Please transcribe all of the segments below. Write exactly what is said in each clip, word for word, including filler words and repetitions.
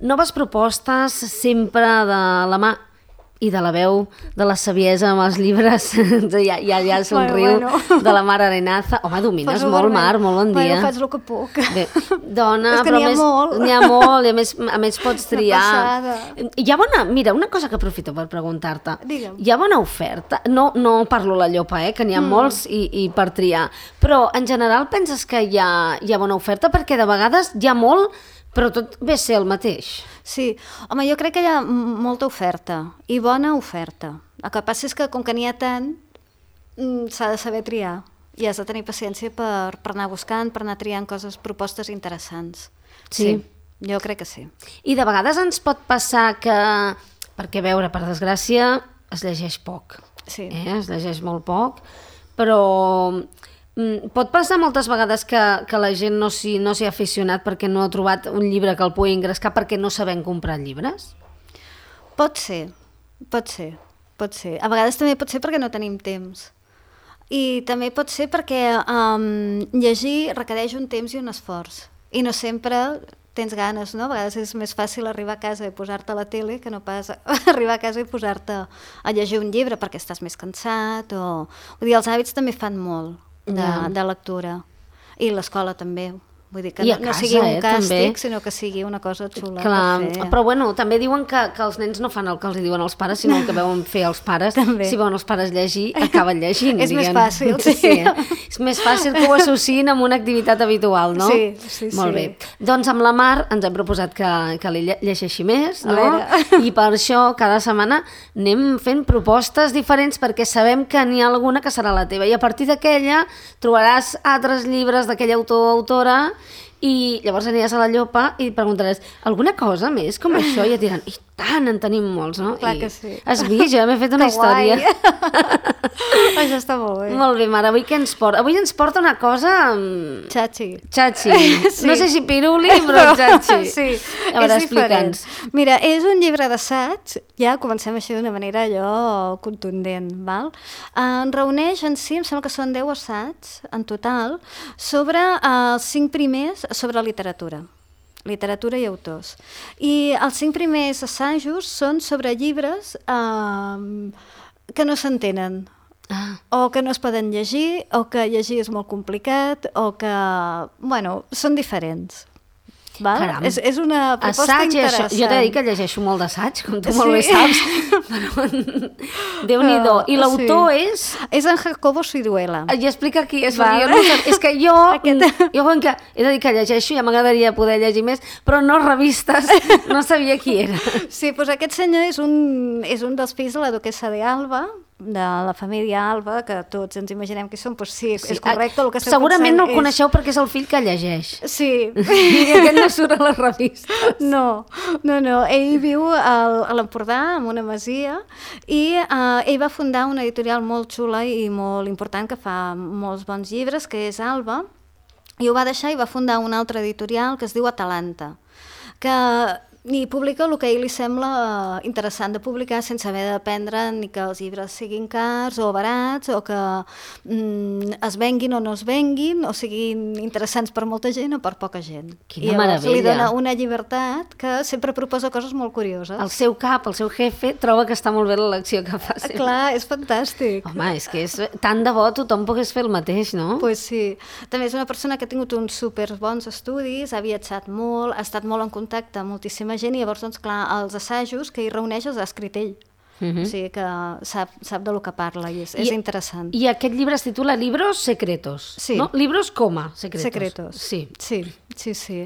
noves propostes sempre de la mà i de la veu de la saviesa amb els llibres, ja, ja, ja somriu, bueno, bueno. de la Mar Arenaza. Home, domines molt, vermell. Mar, molt bon dia. Bueno, faig el que puc. Bé, dona, és que però n'hi ha més, molt. N'hi ha molt, i a més, a més pots triar. Una passada. Hi ha bona, mira, una cosa que aprofito per preguntar-te. Digue'm. Hi ha bona oferta? No, no parlo la llopa, eh, que n'hi ha mm. molts i, i per triar. Però, en general, penses que hi ha, hi ha bona oferta? Perquè de vegades hi ha molt, però tot ve a ser el mateix. Sí, home, jo crec que hi ha molta oferta i bona oferta. El que passa és que com que n'hi ha tant, s'ha de saber triar i has de tenir paciència per, per anar buscant, per anar triant coses, propostes interessants. Sí. sí, jo crec que sí. I de vegades ens pot passar que, perquè a veure, per desgràcia, es llegeix poc. Sí. Eh? Es llegeix molt poc, però pot passar moltes vegades que, que la gent no s'hi no s'hi ha aficionat perquè no ha trobat un llibre que el pugui engrescar perquè no sabem comprar llibres? Pot ser, pot ser, pot ser. A vegades també pot ser perquè no tenim temps. I també pot ser perquè um, llegir requereix un temps i un esforç. I no sempre tens ganes, no? A vegades és més fàcil arribar a casa i posar-te a la tele que no pas arribar a casa i posar-te a llegir un llibre perquè estàs més cansat o... Vull dir, els hàbits també fan molt. De, de lectura. I l'escola també. Vull dir que no, no sigui un eh, càstig, també. Sinó que sigui una cosa xula. Clar, per fer. Però bueno, també diuen que, que els nens no fan el que els diuen els pares, sinó el que veuen fer els pares. Si veuen els pares llegir, acaben llegint. És diguem. més fàcil, sí. sí eh? És més fàcil que ho associïn amb una activitat habitual, no? Sí, sí, Molt sí. bé. Doncs amb la Mar ens hem proposat que, que li llegeixi més, no? I per això cada setmana anem fent propostes diferents perquè sabem que n'hi ha alguna que serà la teva. I a partir d'aquella trobaràs altres llibres d'aquell autor o autora i llavors aniràs a la llopa i preguntaràs alguna cosa més com això i et diran, i tant, en tenim molts, no? Clar I que sí. Has vist? Jo m'he fet una que història. Això està molt bé. Molt bé, Mare, avui què ens porta? Avui ens porta una cosa... Xachi. Xachi. Sí. No sé si piruli, però xachi. Sí, a veure, és diferent. explica'ns. Mira, és un llibre d'assaig, ja comencem així d'una manera allò contundent, val? En reuneix en si, em sembla que són deu assaigs en total, sobre els cinc primers sobre literatura. literatura i autors. I els cinc primers assajos són sobre llibres eh, que no s'entenen, ah. o que no es poden llegir, o que llegir és molt complicat, o que, bueno, són diferents. Val? És, és una proposta assaig, interessant. Això. Jo t'he dit que llegeixo molt d'assaig, com tu sí. molt bé saps. Però, Déu-n'hi-do. I l'autor sí. és... És en Jacobo Siruela. I explica qui és. Jo no sé, és que jo, Aquest... jo com que he de dir que llegeixo, ja m'agradaria poder llegir més, però no revistes, no sabia qui era. Sí, doncs aquest senyor és un, és un dels fills de la duquessa de Alba, de la família Alba, que tots ens imaginem que són, doncs sí, sí. és correcte el que esteu segurament pensant. No el és... coneixeu perquè és el fill que llegeix. Sí. I aquest no surt a les revistes. No, no, no. Ell viu al, a l'Empordà, en una masia, i uh, ell va fundar una editorial molt xula i molt important que fa molts bons llibres, que és Alba, i ho va deixar i va fundar una altra editorial que es diu Atalanta, que... i publica el que a ell li sembla interessant de publicar sense haver de dependre ni que els llibres siguin cars o barats o que mm, es venguin o no es venguin o siguin interessants per molta gent o per poca gent. Quina I llavors meravella. Li dona una llibertat que sempre proposa coses molt curioses. El seu cap, el seu jefe, troba que està molt bé l'elecció que fa sempre. Clar, és fantàstic. Home, és que és tant de bo tothom pogués fer el mateix, no? Pues sí. També és una persona que ha tingut uns super bons estudis, ha viatjat molt, ha estat molt en contacte amb moltíssima gent i llavors, doncs, clar, els assajos que hi reuneix els ha escrit ell. Uh-huh. O sigui que sap, sap de lo que parla i és, I, és interessant. I aquest llibre es titula Libros Secretos, sí. no? Libros coma Secretos. Secretos. Sí. Sí, sí, sí.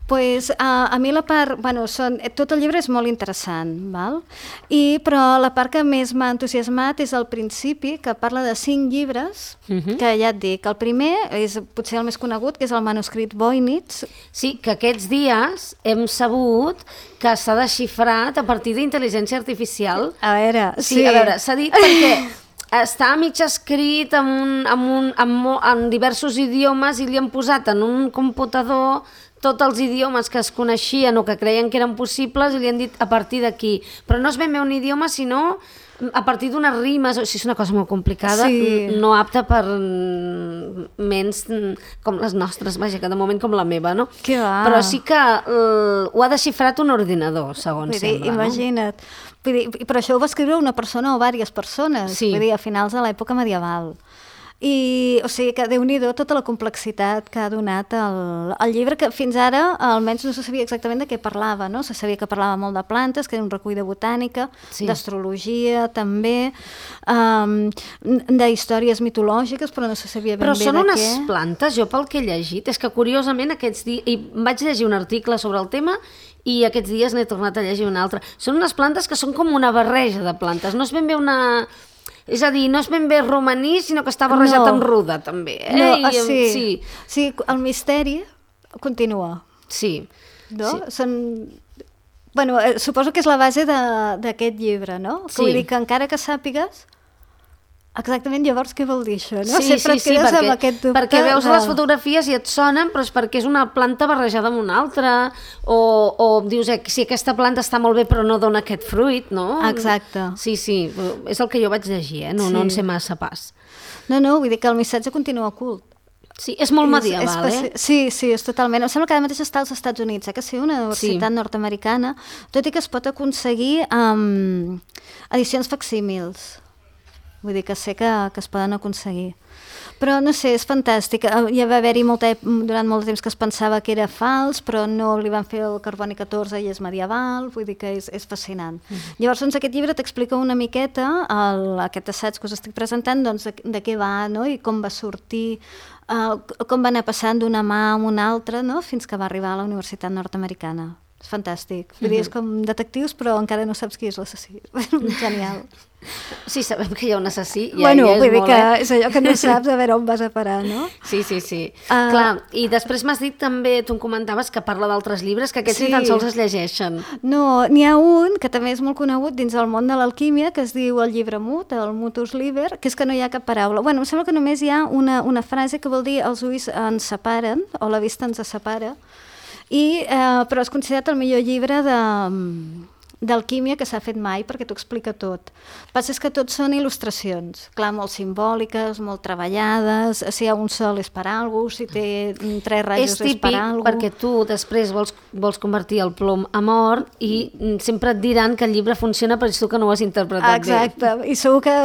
Pues, a, a mi la part... Bueno, són, tot el llibre és molt interessant, val? I, però la part que més m'ha entusiasmat és al principi, que parla de cinc llibres, uh-huh. que ja et dic, el primer és potser el més conegut, que és el manuscrit Voynich. Sí, que aquests dies hem sabut que s'ha desxifrat a partir d'intel·ligència artificial. A veure, sí. sí. A veure, s'ha dit perquè està mig escrit en, un, en, un, en, en diversos idiomes i li han posat en un computador tots els idiomes que es coneixien o que creien que eren possibles i li han dit a partir d'aquí. Però no és ben bé un idioma, sinó a partir d'unes rimes, o sigui, és una cosa molt complicada, Sí. no apta per ments com les nostres, vaja, que de moment com la meva, no? Que va. Però sí que uh, ho ha desxifrat un ordinador, segons Vull dir, sembla, imagina't. Vull dir, però això ho va escriure una persona o diverses persones, Sí. vull dir, a finals de l'època medieval. I, o sigui, que Déu-n'hi-do tota la complexitat que ha donat el, el llibre, que fins ara almenys no se sabia exactament de què parlava, no? Se sabia que parlava molt de plantes, que era un recull de botànica, Sí. d'astrologia també, um, d'històries mitològiques, però no se sabia ben Però bé són de unes què. plantes, jo pel que he llegit, és que curiosament aquests dies, i vaig llegir un article sobre el tema i aquests dies n'he tornat a llegir un altre. Són unes plantes que són com una barreja de plantes, no és ben bé una... És a dir, no és ben bé romaní, sinó que està barrejat No. amb ruda, també. Eh? No, I, ah, em- sí. sí. Sí, el misteri continua. Sí. No? Sí. Són... Bueno, eh, suposo que és la base de- d'aquest llibre, no? Que Sí. Vull dir que encara que sàpigues exactament llavors què vol dir això, no? Sí, Sempre sí, et sí, quedes perquè, amb aquest dubte. perquè veus de... les fotografies i et sonen, però és perquè és una planta barrejada amb una altra, o, o dius, eh, si aquesta planta està molt bé però no dona aquest fruit, no? Exacte. Sí, sí, és el que jo vaig llegir, eh? no, no en Sí. sé massa pas. No, no, vull dir que el missatge continua ocult. Sí, és molt medieval, és, és, eh? Sí, sí, és totalment. Em sembla que ara mateix està als Estats Units, eh? Que sí, una universitat Sí. nord-americana, tot i que es pot aconseguir amb edicions facsímils. Vull dir que sé que, que es poden aconseguir. Però no sé, és fantàstic. Ja va haver-hi molta, durant molt de temps que es pensava que era fals, però no li van fer el carboni catorze i és medieval, vull dir que és, és fascinant. Mm. Llavors, doncs, aquest llibre t'explica una miqueta, el, aquest assaig que us estic presentant, doncs, de, de què va, no? I com va sortir, uh, com va anar passant d'una mà a una altra, no? Fins que va arribar a la Universitat Nord-Americana. És fantàstic. Vull dir, és com detectius, però encara no saps qui és l'assassí. Genial. Sí, sabem que hi ha un assassí. Ja, Bueno, ja és vull dir molt, que eh? és allò que no saps a veure on vas a parar, no? Sí, sí, sí. Uh, Clar, i després m'has dit també, tu em comentaves que parla d'altres llibres, que aquests Sí. ni tan sols es llegeixen. No, n'hi ha un que també és molt conegut dins el món de l'alquímia, que es diu el llibre mut, el mutus liber, que és que no hi ha cap paraula. Bueno, em sembla que només hi ha una, una frase que vol dir els ulls ens separen, o la vista ens separa, i, eh, però és considerat el millor llibre de, d'alquímia que s'ha fet mai, perquè t'ho explica tot. El que passa és que tot són il·lustracions, clar, molt simbòliques, molt treballades, si hi ha un sol és per alguna cosa, si té mm, tres rajos És és, típic per alguna cosa. perquè tu després vols, vols convertir el plom en or i mm, sempre et diran que el llibre funciona però és tu que no ho has interpretat Exacte, bé. i segur que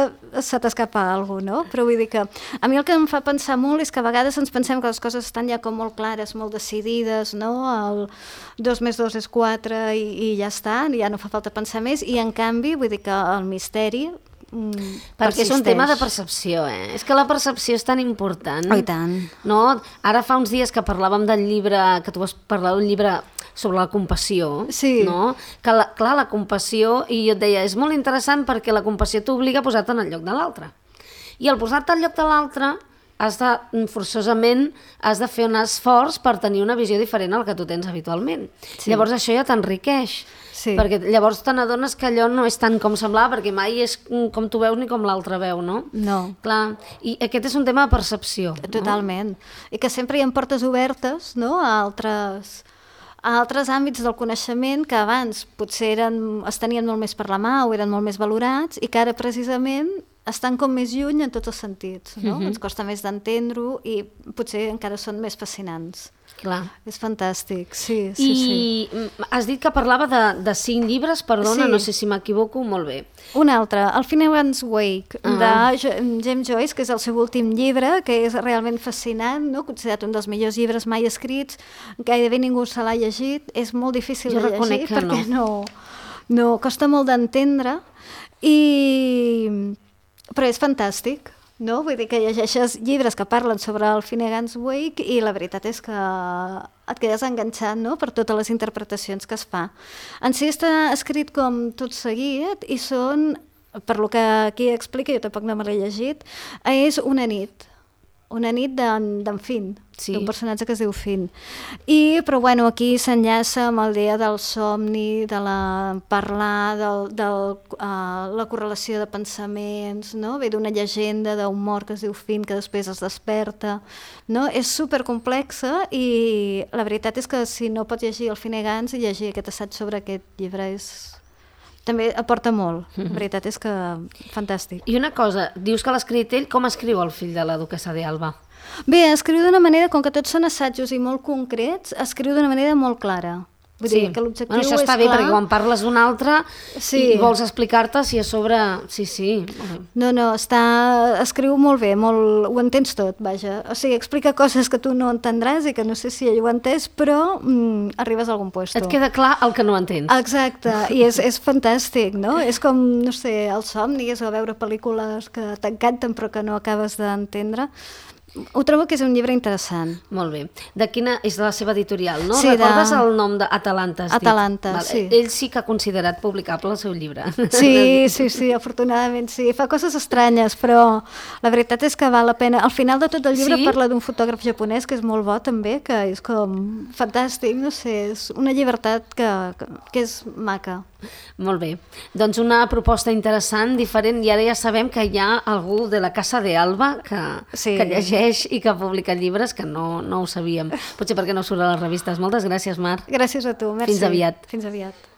se t'escapa alguna cosa, no? Però vull dir que a mi el que em fa pensar molt és que a vegades ens pensem que les coses estan ja com molt clares, molt decidides, no? El dos més dos és quatre i, i ja està, ja no fa falta pensar més, i en canvi, vull dir que el misteri mm, Perquè és un persisteix. tema de percepció, eh? És que la percepció és tan important. Oh, i tant. No? Ara fa uns dies que parlàvem del llibre, que tu vas parlar d'un llibre sobre la compassió, Sí. no? Que la, clar, la compassió, i jo et deia, és molt interessant perquè la compassió t'obliga a posar-te en el lloc de l'altre. I al posar-te al lloc de l'altre, has de, forçosament, has de fer un esforç per tenir una visió diferent al que tu tens habitualment. Sí. Llavors això ja t'enriqueix. Sí. Perquè llavors te n'adones que allò no és tant com semblava, perquè mai és com tu veus ni com l'altre veu, no? No. Clar, i aquest és un tema de percepció. Totalment. I que sempre hi ha portes obertes, no?, a altres, a altres àmbits del coneixement que abans potser eren, es tenien molt més per la mà o eren molt més valorats i que ara precisament estan com més lluny en tots els sentits, no? Mhm. Ens costa més d'entendre-ho i potser encara són més fascinants. Clar. És fantàstic, sí, sí, I sí. has dit que parlava de, de cinc llibres, perdona, Sí. no sé si m'equivoco, molt bé. Un altre, el Finnegan's Wake, Ah. de Jo- James Joyce, que és el seu últim llibre, que és realment fascinant, no? Considerat un dels millors llibres mai escrits, gairebé ningú se l'ha llegit, és molt difícil Jo de reconec llegir que perquè no. no, costa molt d'entendre, i... però és fantàstic. No? Vull dir que llegeixes llibres que parlen sobre el Finnegan's Wake i la veritat és que et quedes enganxat, no?, per totes les interpretacions que es fa. En si està escrit com tot seguit i són, per lo que aquí explica, jo tampoc no me l'he llegit, és una nit, una nit d'en d'en Finn. Sí. d'un personatge que es diu Finn. I, però bueno, aquí s'enllaça amb el dia del somni, de la parlar, de del, del, uh, la correlació de pensaments, no? Ve d'una llegenda d'un mort que es diu Finn, que després es desperta, no? És supercomplexa i la veritat és que si no pots llegir el Finnegans i llegir aquest assaig sobre aquest llibre és... també aporta molt, la veritat és que fantàstic. I una cosa, dius que l'ha escrit ell, com escriu el fill de la duquessa d'Alba? Bé, escriu d'una manera, com que tots són assajos i molt concrets, escriu d'una manera molt clara. Vull sí. dir que l'objectiu bueno, això està és bé, clar. perquè quan parles d'un altre sí. i vols explicar-te si a sobre... Sí, sí. No, no, està... escriu molt bé, molt... ho entens tot, vaja. O sigui, explica coses que tu no entendràs i que no sé si ell ho ha entès, però mm, arribes a algun puesto. Et queda clar el que no entens. Exacte, i és, és fantàstic, no? És com, no sé, els somnis o veure pel·lícules que t'encanten però que no acabes d'entendre. Ho trobo que és un llibre interessant. Molt bé. De quina és de la seva editorial, no? Sí, Recordes de... el nom d'Atalanta? Atalanta, vale. Sí. Ell sí que ha considerat publicable el seu llibre. Sí, sí, sí, afortunadament sí. Fa coses estranyes, però la veritat és que val la pena. Al final de tot el llibre sí? parla d'un fotògraf japonès que és molt bo també, que és com fantàstic, no sé, és una llibertat que, que, que és maca. Molt bé. Doncs una proposta interessant, diferent, i ara ja sabem que hi ha algú de la Casa de Alba que, sí. que llegeix i que publica llibres que no, no ho sabíem. Potser perquè no surt a les revistes. Moltes gràcies, Mar. Gràcies a tu, merci. Fins aviat. Fins aviat.